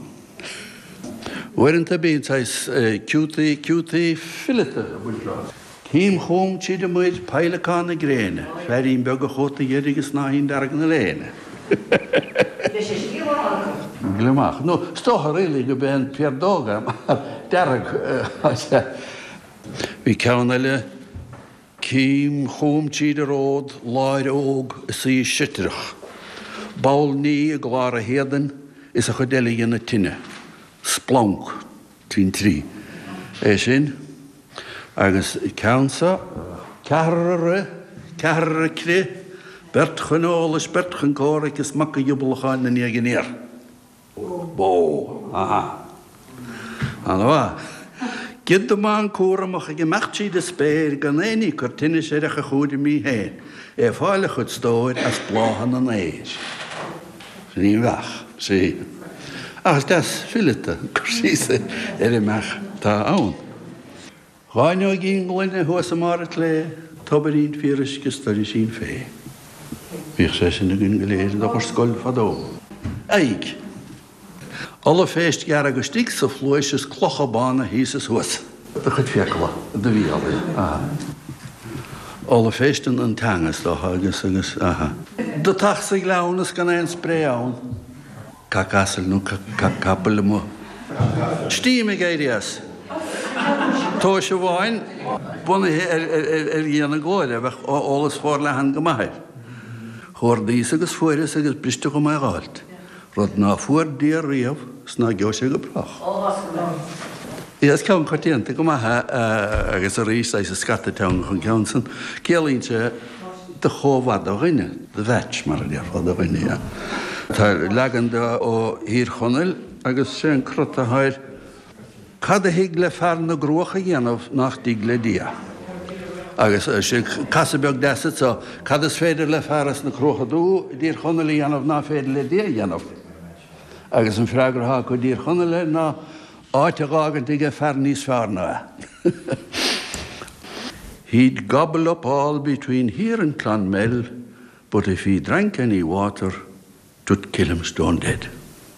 Uaireanta bíonn saghas ciútaí, ciútaí fileata ag baint leo. Cím chugam tríd an muir, peidhleacán na gréine, féirín beag a chóta dheirg is snáithín dearg na léine. Gliomach. Nó is dócha really gurb é an piardóg é mar dearg atá sé. Bhí ceann eile. Cím chugam tríd an ród, láir óg is í seitreach. Ball ní i gclár a héadain is a chuid eile dhéanamh tine. Splanc. Tintrí. É sin. Agus ceann so. Ceathrar ag rith, ceathrar ag crith, beirt chun eolais, beirt chun comhraic is mac a dhioblacháin 'na ndiaidh aniar. Bó. Aha. Ana-mhaith. Gioda bán cúramach ag imeacht tríd an spéir gan aon ní ag cur tinnis air ach a chúraimí féin, é ag fáil a chuid stóir as bláthanna an fhéir. Sin í an bheach. Sea. Ach is deas fileata an cur síos ar an mbeach atá ann. Dhá fhuinneoigín gloine thuas i mbarr an tslé, tobairín fíoruisce is doirisín fé. Bhíodh sé sin againn go léir ag dul ar scoil fadó. Aghaidh. Ollphéist dhearg istigh sa phluais is clocha bána thíos is thuas. Do chuid fiacla, i do bhéal, aha. Ollphéist an teanga is dócha agus, agus, aha. Deatach sa ghleann is gan aon spré ann. Cac asail nó cac capaill amuigh. Steam ag éirí as. Tomhais amháin bunaithe ar Dhia na Glóire, bheadh eolas forleathan go maith air. Chuardaíos agus fuaireas agus briste dhom é dh'fháilt. Rud ná fuair Dia riamh 's ná gheobhaidh sé go brách. Is ceann coitianta go maith é agus arís saghas scata teangacha an ceann san. Ciallaíonn sé do chomhar do dhuine, do mheaits mar a déarfá do dhuine, yeah. Tá leagan de ó Thír Chonaill agus sé an crot atá air, Cad a thig le fear na gCruach a dhéanamh nach dtig le Dia? Agus sé casadh beag deas anseo, cad is féidir le fear as na Cruacha Dubha i dTír Chonaill a dhéanamh nach féidir le Dia a dhéanamh? Agus an freagra atá acu i dTír Chonaill air ná áit a dh'fhágaint aige fear níos fearr ná é. He'd gobble up all between here and Clonmel, but if he drank any water, 'twould kill him stone dead.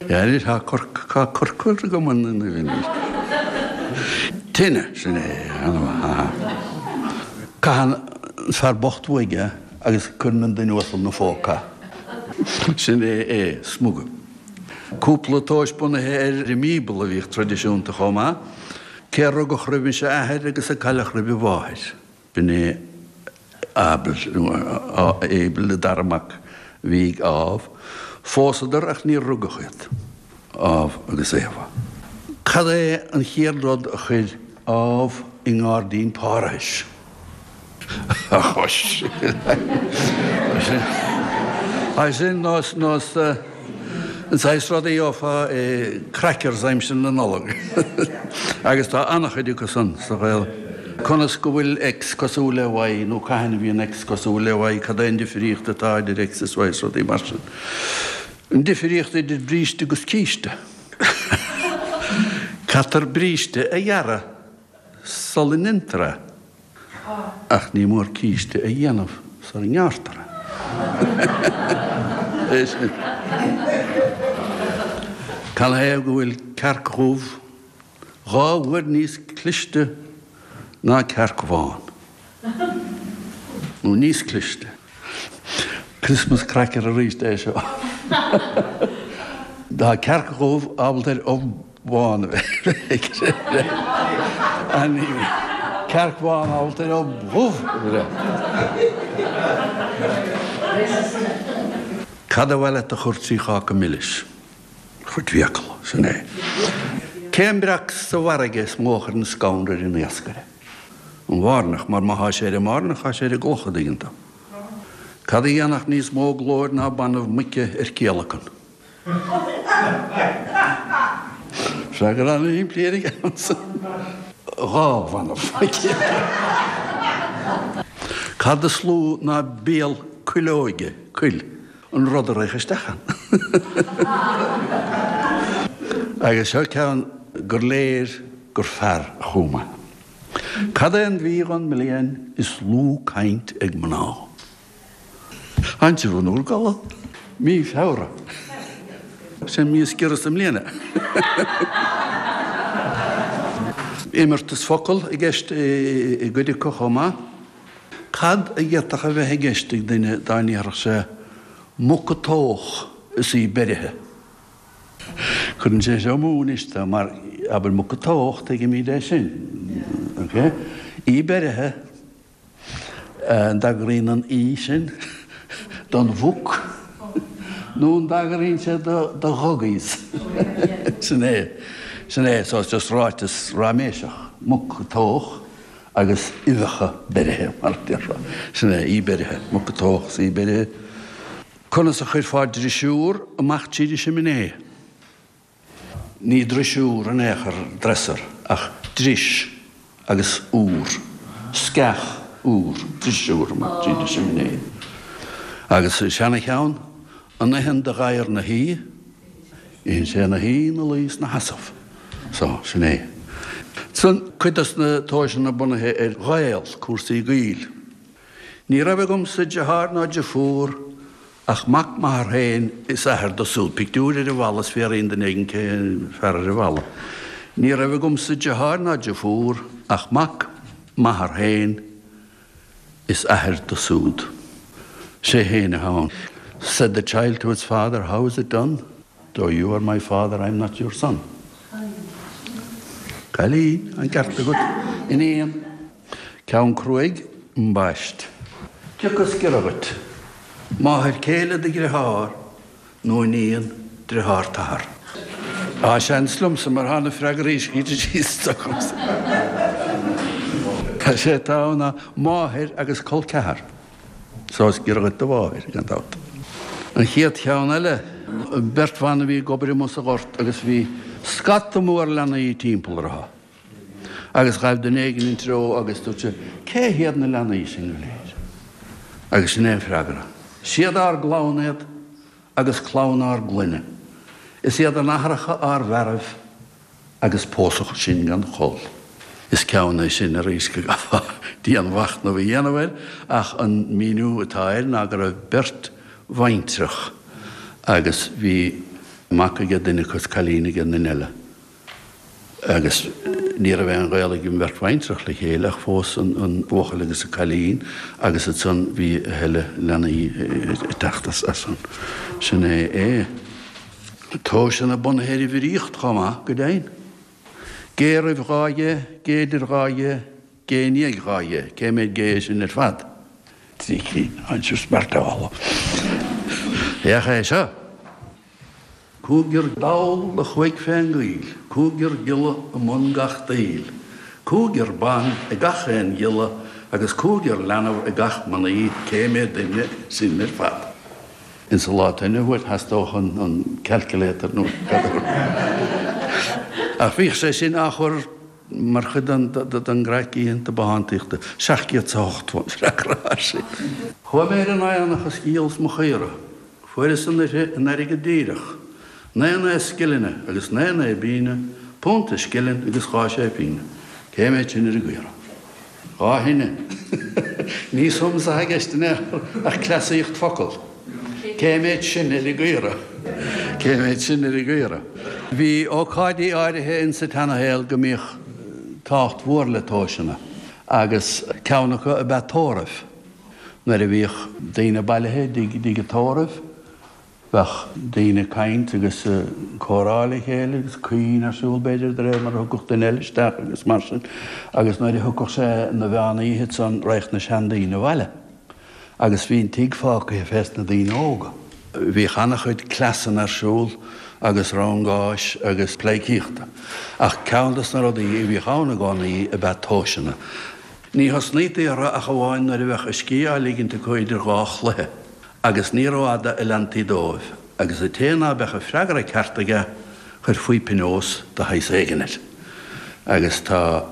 Anois tá corcar agam anois. Tine, sin é, ana-mhaith. Caitheann an fear bocht uaidh é agus cuireann an duine uasal 'na phóca. Sin é é, smuga. Cúpla tomhas bunaithe ar an mBíobla a bhíodh traidisiúnta chomh maith, cé a rugadh roimis a athair agus a cailleadh roimh a mháthair. B'in é Abel, nó Abel, an dara mac a bhí ag Ádhamh. Phósadar ach níor rugadh iad, Ádhamh agus Éabha. Cad é an chéad rud a chuir Ádhamh i ngairdín Pháradais? A chois. Sin nós nós an saghas rud a gheofá i crackers aimsir na Nollag. Agus tá an-chuid acu san sa Ghael. Conas go bhfuil X cosúil le Y nó cathain a bhíonn X cosúil le Y, cad é an difríocht atá idir X is Y is rudaí mar sin. An difríocht idir bríste agus císte. Caitear bríste a ghearradh sula ndéantar é, ach ní mór císte a dhéanamh sula ngearrtar é. É sin. Canathaobh go bhfuil cearc dhubh dhá uair níos cliste ná cearc bhán. Nó níos cliste. Christmas cracker arís é seo. Tá cearc dhubh ábalta ar ubh bhán a bheith. Cearc bhán ábalta ar ubh dhubh a bheith. Cad ba mhaith leat a chur trí cháca milis? Chuid fiacail, sin é. Cén breac sa bhfarraige is mó a chuireann scanradh ar an iascaire? An bhairneach, mar má thá sé ar an mbairneach, thá sé ar an gcloch, a dtuigeann tú. Cad a dhéanfadh níos mó glóir ná banbh muice ar ciallacan? Freagra an-shimplí ar an gceann san. Dhá bhanbh muice. Cad is lú ná béal cuileoige, cuil? An rud a raghadh isteach ann. Agus seo ceann gur léir gur fear a chum é. Cad é an mhí dhon mbliain is lú caint ag mná? Tánn sibh in bhur gcodladh. Mí Feabhra. Sin an mhí is giorra sa mbliain. Imeartas focal i gceist i gcuid acu chomh maith. Cad a d'fhéadfadh a bheith i gceist ag duine dá ndéarfadh sé muc a toghadh is í beirithe? Cuireann sé seo amú anois tú, mar abair muc a toghadh, tuigimid é sin. Ok? Í beirithe, an dtagraíonn an í sin don mhuc nó an dtagraíonn sé do doggies? Sin é. Sin é. So it's just ráiteas raiméiseach. Muc a toghadh. agus uibheacha beirithe, mar a déarfá. Sin é, í beirithe, muc a toghadh is í beirithe. Conas a chuirfeá drisiúr amach tríd an siminé? Ní drisiúr in aon chor, dresser, ach dris agus úr, sceach úr, drisiúr amach tríd an siminé. Agus seana-cheann, an itheann do ghadhar 'na shuí? Itheann sé ina shuí, ina luí 's ina sheasamh. So, sin é. San, cuid dos na tomhaiseanna bunaithe ar ghaol, cúrsaí gaoil. Ní raibh agamsa deartháir ná deirfiúr ach mac m'athar féin is athair dó súd. Pictiúr ar an bhalla is fiafraíonn duine éigin cé an fear ar an bhalla. Ní raibh agamsa deartháir ná deirfiúr ach mac m'athar féin is athair dó súd. Sé féin atá ann. Said the child to its father, how is it done? Though you are my father, I'm not your son. Cailín, an ceart agat, iníon. Ceann cruaidh, ambaist. Cioca is giorra dhuit? Máthair céile do dhritheár nó iníon Driotháir t'athar. Á, seans liomsa mar thá na freagraí scríte síos agamsa. Sé atá ann ná máthair agus col ceathar. So is giorra dhuit do mháthair, gan dabht. An chéad cheann eile, beirt bhan a bhí ag obair amuigh sa ghort agus bhí scata mór leanaí timpeall orthu. Agus ghaibh duine éigin ina dtreo agus dúirt sé, Cé hiad na leanaí sin go léir? Agus sin é an freagra, Siad ár gclann iad agus clann ár gclainne. Is iad a n-athracha ár bhfearaibh agus pósadh sinn gan chol. Is ceann é sin arís go gcaithfeá dianmhachnamh a dhéanamh air ach an míniú atá air ná go raibh beirt bhaintreach agus bhí mac ag duine acu is cailín ag an duine eile agus ní raibh aon ghaol ag an bheirt bhaintreach le chéile ach phós an buachaill agus an cailín agus ansan bhí a thuilleadh leanaí ag teacht as san. Sin é é. Tomhaiseanna bunaithe ar uimhríocht chomh maith, go deimhin. Gé roimh dhá ghé, gé idir dhá ghé, gé i ndiaidh dhá ghé. Cé mhéad gé é sin ar fad? Trí cinn. Aren't you smart at all? Féach é seo. Cúigear dall a chuaigh fén gcoill, cúigear giolla i mbun gach daill, cúigear ban ag gach aon ghiolla agus cúigear leanbh ag gach mnaoi, cé mhéad duine sin ar fad? Insa lá atá inniu uait theastódh an calculator nó cad a Ach bhíodh sé sin á chur mar chuid den gcraic oícheanta bothántaíochta. Seacht gcéad 's a hochtó an freagra air sin. Chuaigh mé ar an aonach is dhíolas mo chaora. Fuaireas an uirthi in airgead díreach, naoi naoi scillinge agus naoi naoi bpínne, punt is scilling agus dhá sé pínne. Cé mhéad sin ar an gcaora? Dhá thine. Ní sums atá i gceist in aon chor ach cleasaíocht focal. Cé mhéad sin ar an gcaora? Cé mhéad sin ar an gcaora? Bhí ócáidí áirithe insa tseanashaol go mbíodh tábhacht mhór le tomhaiseanna agus ceann acu ab ea tórramh. Nuair a bhíodh daoine bailithe i dtigh an tórraimh, bheadh daoine ag caint agus comhrá le chéile agus caoin ar siúl, b'fhéidir, de réir mar a thiocfadh duine eile isteach agus mar sin. Agus nuair a thiocfadh sé 'na mheán oíche ansan raghadh na seandaoine abhaile agus bhí an tigh fágtha fés na daoine óga. Bhíodh ana-chuid cleasanna ar siúl agus rangáis agus pleidhcíochta. Ach ceann dos na rudaí a bhíodh ann i gcónaí ab ea tomhaiseanna. Ní thosnaítaí orthu ach amháin nuair a bheadh a scíth á ligint acu idir dhá chluiche, agus ní rófhada a leantaí dóibh, agus an té ná beadh an freagra ceart aige, chuirfí pionós de shaghas éigin air. Agus tá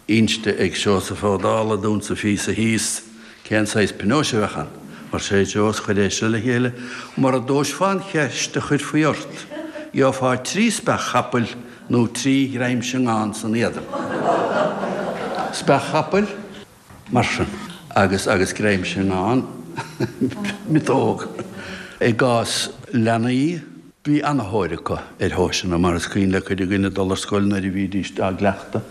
inste ag Seosamh Ó Dálaigh dúinn sa phíosa thíos cén saghas pionóis a bheadh ann. Mar sé Joe is chuir é seo le chéile, mura dtomhaisfeá an cheist a chuirfí ort, gheofá trí speach chapaill nó trí ghreim seangán san éadan. Speach chapaill, mar sin, agus agus greim seangán, miotóg. I gcás leanaí, bhí ana-thóir acu ar thomhaiseanna, mar is cuimhin le cuid againn ag dul ar scoil nuair a bhídís á gcleachtadh,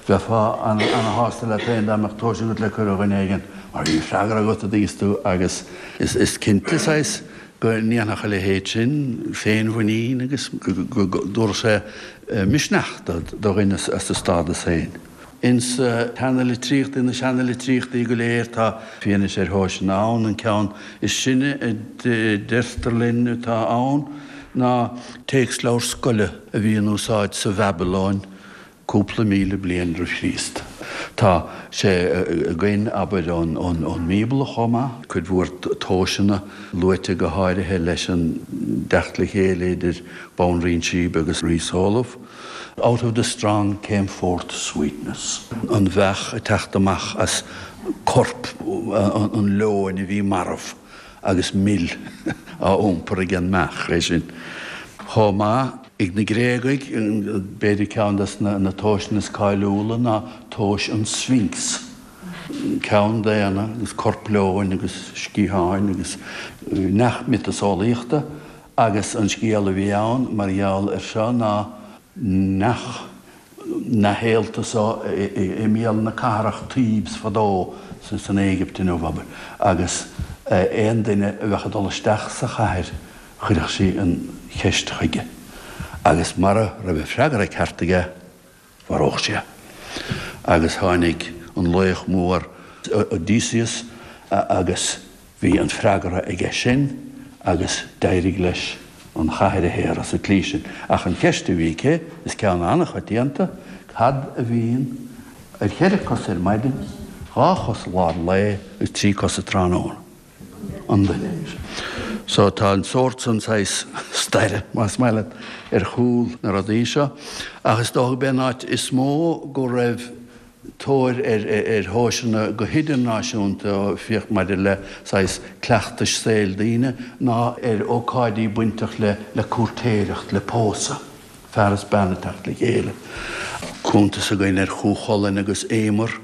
bheifeá ana-shásta leat féin dá mbeadh tomhas agat le cur ar dhuine éigin, mar bhí freagra agat an dtuigeann tú agus is cinnte saghas go ndéanfadh a leithéid sin féinmhuinín agus go dtabharfadh sé misneach do dhuine as a stádas féin. Ins na seana-litríochtaí, na seana-litríochtaí go léir, tá fianaise ar thomhaiseanna ann. An ceann is sine a deirtear linn atá ann ná téacsleabhar scoile a bhí in úsáid sa Bhabalóin cúpla míle bliain roimh Chríost. Tá sé againn, abair, ón mBíobla chomh maith, cuid mhór tomhaiseanna luaite go háirithe leis an dteacht le chéile idir Banríon Sheba agus Rí Solamh. Out of the strong came forth sweetness. An bheach ag teacht amach as corp an leoin a bhí marbh agus mil á iompar ag an mbeach, é sin. Chomh maith, ag na Gréagaigh, b'fhéidir ceann des na tomhaiseanna is cáiliúla ná tomhais an Sphinx. Ceann daonna agus corp leoin agus sciatháin agus neach miotaseolaíochta agus an scéal a bhí ann mar gheall air seo ná neach na héalta so i mbéal na cathrach Thebes fadó san Éigipt inniu, abair, agus aon duine a bheadh ag dul isteach sa chathair chuirfeadh sí an cheist chuige agus mara raibh an freagra ceart aige mharódh sí é. Agus tháinig an laoch mór Odysseus agus bhí an freagra aige sin agus d'éirigh leis an chathair a shaoradh sa tslí sin. Ach an cheist a bhí aici, is ceann an-choitianta, cad a bhíonn ar cheithre cosa ar maidin, dhá chos lár lae agus trí cosa tráthnóna? An duine. So tá an sórt san saghas staire, más maith leat, ar chúl na rudaí seo. Ach is dócha b'é an áit is mó go raibh tóir ar ar thomhaiseanna go hidirnáisiúnta, féach maidir le saghas cleachtais saoil daoine, ná ar ócáidí bainteach le le cúirtéireacht, le pósadh, fear is bean ag teacht le chéile. Cuntas againn ar Chú Chulainn agus Éimear,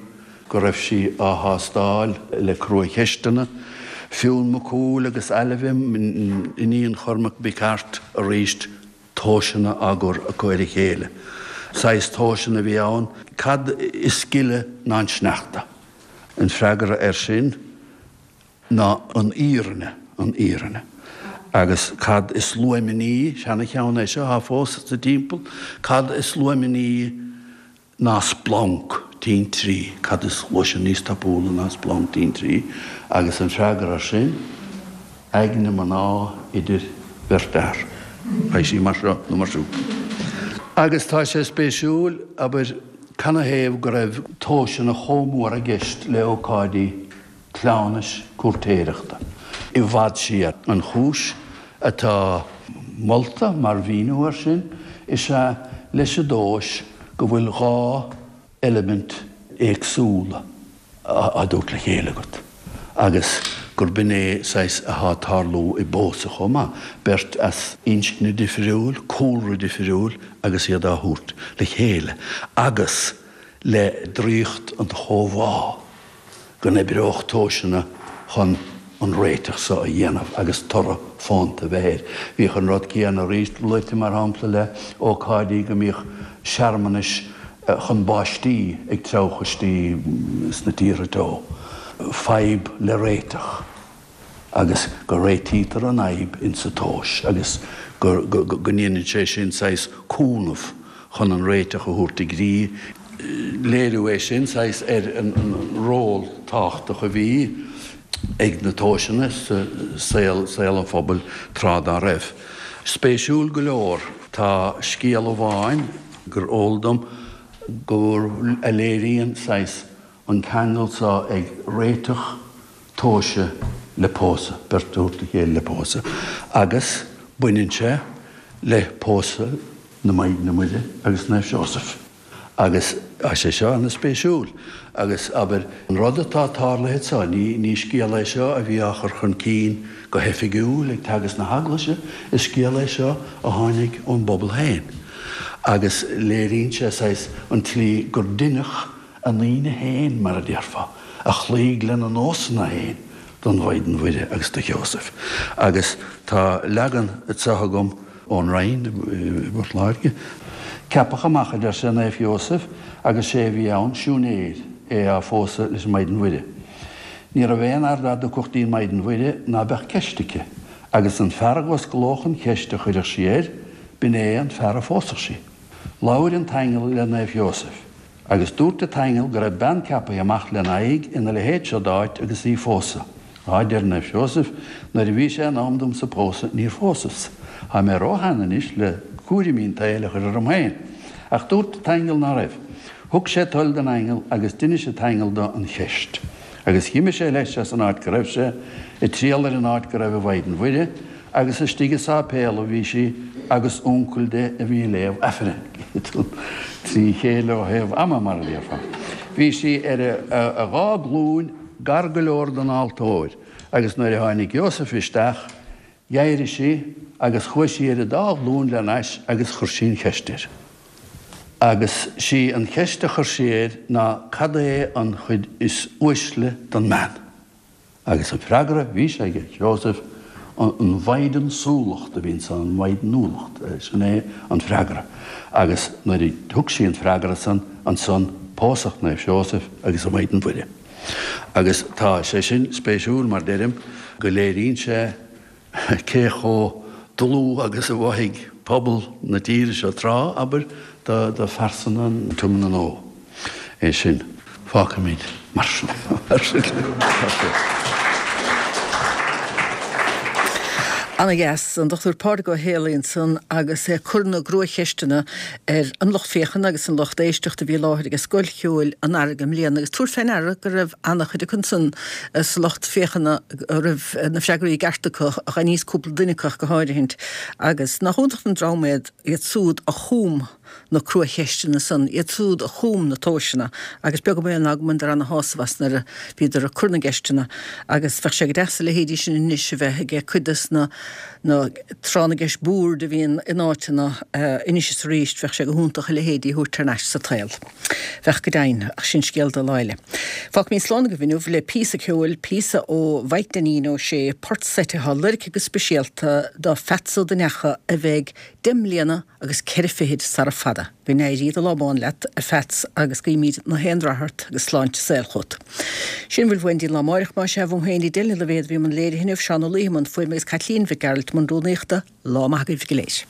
go raibh sí á thástáil le crua-cheisteanna. Fionn Mac Cumhaill agus Ailbhe, iníon Chormaic Mhic Airt, arís tomhaiseanna á gcur acu ar a chéile. Saghas tomhaiseanna a bhí ann, cad is gile ná an sneachta? An freagra air sin ná an fhírinne, an fhírinne. Agus cad is luaimní, seana-cheann é seo, atá fós sa timpeall, cad is luaimní ná splanc tintrí, cad is gluaiseann níos tapúla ná splanc tintrí? Agus an freagra air sin, aigne mná idir bheirt fhear. Beidh sí mar seo nó mar siúd. Agus tá sé spéisiúil, abair, canathaobh go raibh tomhaiseanna chomh mór i gceist le ócáidí cleamhnais cúirtéireachta i bhfad siar. An chúis atá molta mar mhíniú air sin is ea leis an dtomhas go bhfuil dhá eilimint éagsúla á dtabhairt le chéile agat agus gurb in é saghas atá ag tarlú i bpósadh chomh maith, beirt as inscne difriúil, cúlra difriúil agus iad á thabhairt le chéile agus le draíocht an chomhbhá. go n-oibreodh tomhaiseanna chun an réiteach so a dhéanamh agus toradh fónta a bheith air. Bhíodh an rud céanna arís luaite, mar shampla, le ócáidí go mbíodh searmanais chun báistí ag treabhchoistí sna tíortha teo, fadhb le réiteach agus go réitítear an fhadhb insa tomhas agus go ndéanann sé sin saghas cúnamh chun an réiteach a thabhairt i gcrích. Léiriú é sin, saghas, ar an ról tábhachtach a bhí ag na tomhaiseanna sa saol, saol an phobail tráth dá raibh. Spéisiúil go leor, tá scéal amháin gur eol dom gur, a léiríonn, saghas, an ceangal so ag réiteach tomhaise le pósadh, beirt a thabhairt le chéile le pósadh, agus baineann sé le pósadh na Maighdine Muire agus Naomh Seosamh. Agus tá sé seo ana-spéisiúil. Agus, abair, an rud atá tarlaithe anseo, ní, ní scéal é seo a bhí á chur chun cinn go hoifigiúil ag teagasc na hEaglaise, is scéal é seo a tháinig ón bpobal féin. Agus léiríonn sé, saghas, an tslí gur deineadh a ndaoine féin, mar a déarfá, a chloígh lena nósanna féin don Mhaighdean Mhuire agus do Sheosamh. Agus tá leagan anseo agam ón Rinn i bPort Láirge. Ceapadh amach, a deir sé, Naomh Sheosamh agus sé a bhí ann, siúinéir, é á phósadh leis an Maighdean Mhuire. Ní raibh aon fhear dá dtiocfadh dtí'n Maighdean Mhuire ná beadh ceist aici, agus an fear a dh'osclódh an cheist a chuirfeadh sí air, b'in é an fear a phósfadh sí. Labhair an t-aingeal le Naomh Sheosamh. Agus dúirt an t-aingeal go raibh bean ceapaithe amach lena aghaidh ina leithéid seo d'áit agus í phósadh. Á, deir Naomh Seosamh, nuair a bhí sé in am domsa pósadh níor phósas. Tá mé ró-shean anois le cúraimí an tsaoil a chur orm féin. Ach dúirt an t-aingeal ná raibh. Thug sé toil don aingeal agus d'inis an t-aingeal do an cheist. Agus dh'imigh sé leis as an áit go raibh sé, ag triall ar an áit go raibh an Mhaighdean Mhuire, agus istigh i sáipéal a bhí sí agus uncail di a bhí ag léamh Aifrinn. Trí chéile ó thaobh ama, mar a déarfá. Bhí sí ar a dhá glúin gar go leor don altóir agus nuair a tháinig Iósaf isteach, d'éirigh sí agus chuaigh sí ar a dá ghlúin lena ais agus chuir sí an cheist air. Agus sí an cheist a chuir sí air ná cad é an chuid is uaisle don mbean? Agus an freagra bhí sé aige Seosamh, an mhaighdeansúlacht a bhí ansan, an mhaighdeanúlacht, sin é an freagra. Agus nuair a thug sí an freagra san, ansan pósadh Naomh Seosamh agus an Mhaighdean Mhuire. Agus tá sé sin spéisiúil, mar deirim, go léiríonn sé cé chomh dlúth agus a mhothaigh pobal na tíre seo tráth, abair, do phearsana an Tiomna Nua. É sin. Fágfaimid mar sin. Ana dheas an Dr Pádraig Ó Héalaí ansan agus é ag cur na gcruacheisteanna ar an lucht féachana agus an lucht éisteachta a bhí i láthair ag Scoil Cheoil an Earraigh i mbliana agus tabhair fé ndeara go raibh an-chuid acu ansan sa lucht féachana a raibh na freagraí i gceart acu, aníos cúpla duine acu go háirithint agus nach iontach an dream iad iad súd a chum na cruacheisteanna san, iad súd a chum na tomhaiseanna agus beag an baol ná go mbaineadar ana-shásamh as nuair a bhíodar ag cur na gceisteanna agus bheadh sé go deas a leithéidí sin anois a bheith ag cuid des na na tráth na gceist boird a bhíonn in áiteanna anois is arís, bheadh sé go hiontach a leithéidí a thabhairt thar n-ais sa tsaol. Bheadh go deimhin, ach sin scéal do lá eile. Fágfaimid slán agaibh inniu le píosa ceoil, píosa ó Mhaidhc Dainín Ó Sé, port seite atá loirgthe go speisialta do Pheats Ó Duinneacha a bheidh deich mbliana agus ceithre fichid sara fada. Go n-éirí do lá bán leat, a Pheats, agus guímid na haon rath ort agus sláinte saoil chugat. Sin a bhfuil uainn go dtí an lá amáireach, más ea, uaim féin Edel Ní Loibhéad a bhí i mbun léirithe inniu, Seán Ó Laoithe i mbun fuaime agus Caitlín Mhic Gearailt i mbun rúnaíochta. Lá maith agaibh go léir.